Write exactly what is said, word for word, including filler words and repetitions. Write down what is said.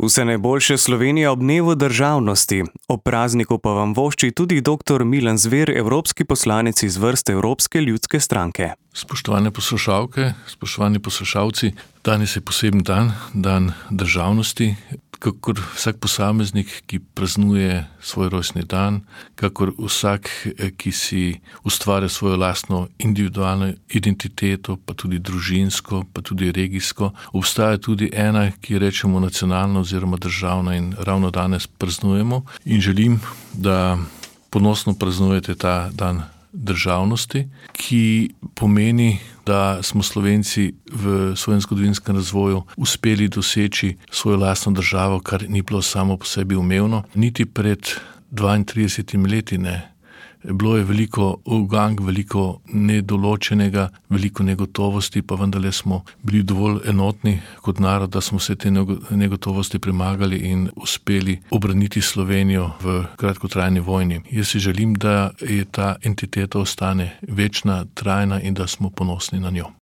Vse najboljše Slovenija ob dnevu državnosti. Ob prazniku pa vam vošči tudi doktor Milan Zver, evropski poslanec iz vrst Evropske ljudske stranke. Spoštovane poslušalke, spoštovani poslušalci, danes je poseben dan, dan državnosti, kakor vsak posameznik, ki praznuje svoj rojstni dan, kakor vsak, ki si ustvarja svojo lastno individualno identiteto, pa tudi družinsko, pa tudi regijsko. Obstaja tudi ena, ki rečemo nacionalna oziroma državna, in ravno danes praznujemo. In želim, da ponosno praznujete ta dan državnosti, ki pomeni, da smo Slovenci v svojem zgodovinskem razvoju uspeli doseči svojo lastno državo, kar ni bilo samo po sebi umevno. Niti pred dvaintridesetimi leti ne. Bilo je veliko ugank, veliko nedoločenega, veliko negotovosti, pa vendarle smo bili dovolj enotni kot narod, da smo vse te negotovosti premagali in uspeli obraniti Slovenijo v kratkotrajni vojni. Jaz si želim, da je ta entiteta ostane večna, trajna in da smo ponosni na njo.